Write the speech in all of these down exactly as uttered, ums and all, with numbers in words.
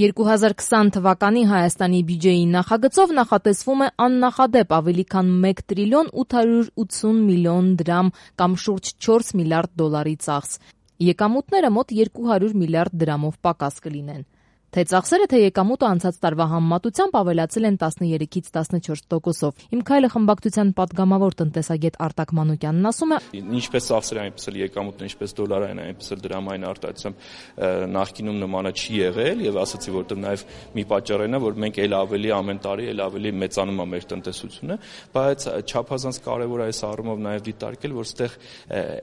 երկու հազար քսան թվականի Հայաստանի բյուջեի նախագծով նախատեսվում է աննախադեպ ավելի քան մեկ տրիլիոն ութ հարյուր ութսուն միլիոն դրամ կամ շուրջ չորս միլիարդ դոլարի ծախս։ Եկամուտները մոտ երկու հարյուր միլիարդ դրամով պակաս կլինեն։ Թե ծախսերը, թե եկամուտը անցած տարվա համեմատությամբ ավելացել են տասներեքից տասնչորս տոկոսով։ Իմ քայլը խմբակցության պատգամավոր տնտեսագետ Արտակ Մանուկյանն ասում է. Ինչպես ծախսերը, այնպես էլ եկամուտն, ինչպես դոլարային, այնպես էլ դրամային արտահայտությամբ նախկինում նմանը չի եղել, եւ ասացի, որտեղ նաեւ մի պատճառն է, որ մենք ել ավելի ամեն տարի ել ավելի մեծանում է մեր տնտեսությունը, բայց չափազանց կարեւոր է այս առումով նաեւ դիտարկել, որ այստեղ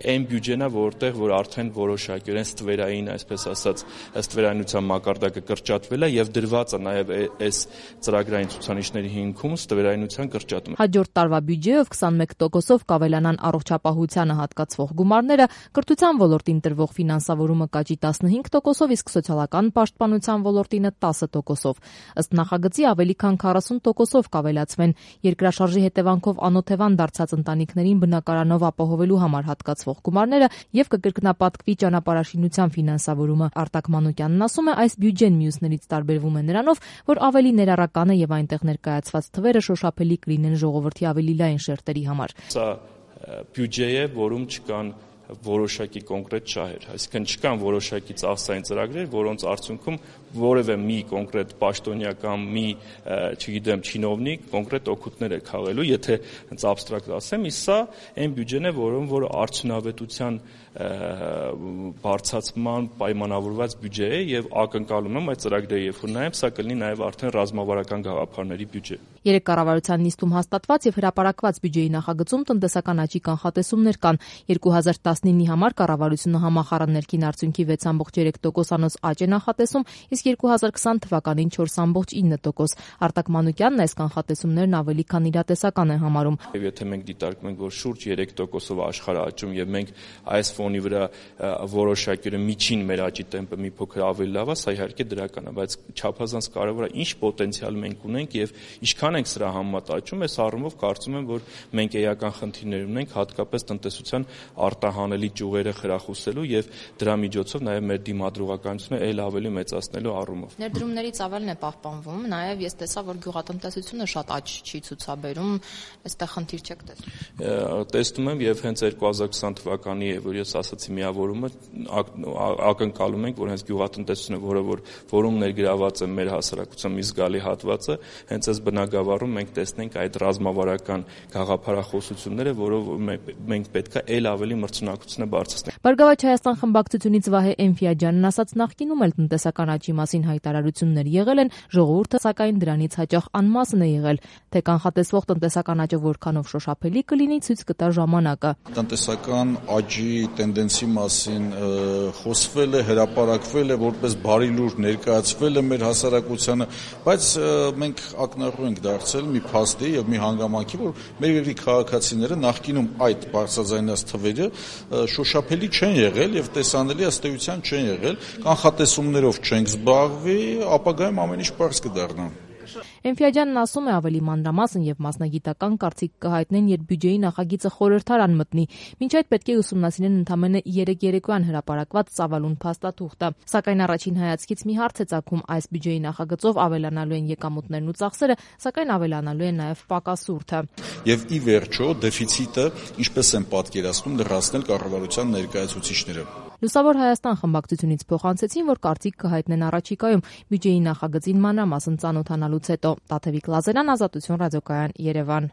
այն բյուջեն է, որտեղ որ արդեն որոշակիորեն ստվերային, այսպես ասած, ստվերայնության մակարդակը կրճատվել է եւ դրված է նաեւ այս ծրագրային ցուցանիշների հիմքում ստվերայնության կրճատումը։ Հաջորդ տարվա բյուջեով քսանմեկ տոկոսով կավելանան առողջապահությանը հատկացվող գումարները, կրթության ոլորտին տրվող ֆինանսավորումը կաճի տասնհինգ տոկոսով, իսկ սոցիալական պաշտպանության ոլորտինը տասը տոկոսով։ Ըստ նախագծի ավելի քան քառասուն տոկոսով կավելացվեն երկրաշարժի հետևանքով անօթևան դարձած ընտանիքներին բնակարանով ապահովելու համար հատկացվող գումարները եւ կկրկնապատկվի ճանապարհաշինության ֆինանսավորումը։ Արտակ Մանուկյանն ասում է, այս բյուջեն մյուսներից տարբերվում է նրանով, որ ավելի ներառական է եւ այնտեղ ներկայացված թվերը շոշափելի կլինեն ժողովրդի ավելի լայն շերտերի համար։ Սա բյուջե է, որում չկան որոշակի կոնկրետ շահեր, այսինքն չկան որոշակի ծախսային ծրագրեր, որոնց արդյունքում որևէ մի կոնկրետ պաշտոնյա կամ մի, չգիտեմ, չինովնիկ կոնկրետ օգուտներ է քաղելու, եթե հենց абստրակտ ասեմ, իսկ սա այն բյուջեն է, որում որ արդյունավետության բարձրացման պայմանավորված բյուջե է եւ ակնկալում եմ այդ ծրագրերը երբ որ նայեմ, սա կլինի նաեւ արդեն ռազմավարական գաղափարների բյուջե։ Երեք կառավարության նիստում հաստատված եւ հրապարակված բյուջեի նախագծում տնտեսական աճի կանխատեսումներ կան։ երկու հազար տասնինի համար կառավարությունը համախառն ներքին արդյունքի վեց ամբողջ երեք տոկոսանոց աճ է նախատեսում, իսկ երկու հազար քսան թվականին չորս ամբողջ ինը տոկոս։ Արտակ Մանուկյանն այս կանխատեսումներն ավելի քան իրատեսական է համարում։ Եվ եթե մենք դիտարկում ենք, որ շուրջ երեք տոկոսով աշխարհը աճում եւ մենք այս ֆոնի վրա որոշակի միջին մեր աճի տեմպը մի փոքր ավելի լավ է, սա իհարկե դրական է, բայց չափազանց կարևոր է ինչ պոտենցիալ մենք ունենք եւ ինչքան ենք սրա համեմատ աճում, այս առումով կարծում եմ, որ մենք էական խնդիրներ ունենք հատկապես տնտեսության արտահանելի ճյուղերը խրախուսելու եւ դրա միջոցով նաեւ մեր դիմադրողականությունը ել ավելի մեծացնելու առումով։ Ներդրումներից ավելն է պահպանվում, նաեւ ես տեսա, որ գյուղատնտեսությունը շատ աճ չի ցուցաբերում, այստեղ խնդիր չեք տեսնում։ Տեսնում եմ եւ հենց երկու հազար քսան թվականի է, որ ես ասացի միավորումը ակնկալում ենք, որ հենց գյուղատնտեսությունը, որը որ որում ներգրաված է մեր հասարակության մի զգալի հատվածը, հենց այս բնագավառում մենք տեսնենք այդ ռազմավարական գաղափարախոսությունները, որով մենք պետք է ել ավելի մրցունակությունը բարձրացնենք։ Բարգավաճ Հայաստան խմբակցությունից Վահե Էնֆիաջյանն ասաց, նախկինում էլ տնտեսական աճի մասին հայտարարություններ եղել են, ժողովուրդը սակայն դրանից հաճախ անմասն է եղել, թե կանխատեսվող տնտեսական աճը որքանով շոշափելի կլինի, ցույց կտա ժամանակը։ Տնտեսական աճի տենդենսի մասին խոսվել է, հրապարակվել է, որպես բարի լուր ներկայացվել է մեր հասարակությանը, բայց մենք ակնառու ենք դարձել մի փաստի եւ մի հանգամանքի, որ մեր երկրի քաղաքացիները նախկինում այդ բարձրաձայնած թվերը շոշափելի չեն եղել եւ տեսանելի ըստ էության չեն եղել, կանխատեսումներով չենք զբաղվի, ապագայում ամեն ինչ պարզ կդառնա։ Էնֆիաջյանն ասում է, ավելի մանրամասն եւ մասնագիտական կարծիք կհայտնեն, երբ բյուջեի նախագիծը խորհրդարան մտնի։ Մինչ այդ պետք է ուսումնասիրեն ընդամենը երեք երեկոյան հրապարակված ծավալուն փաստաթուղթը։ Սակայն առաջին հայացքից մի հարց է ծագում, այս բյուջեի նախագծով ավելանալու են եկամուտներն ու ծախսերը, սակայն ավելանալու է նաեւ պակասուրդը։ Եվ ի վերջո դեֆիցիտը, ինչպես են պատկերացնում, լրացնել կառավարության ներկայացուցիչները։ Լուսավոր Հայաստան խմբակցությունից փոխանցեցին, որ կարծիք կհայտնեն առաջիկայում բյուջեի նախագծին մանրամասն ծանոթանալուց հետո։ Տաթևիկ Լազարյան, Ազատություն ռադիոկայան, Երևան։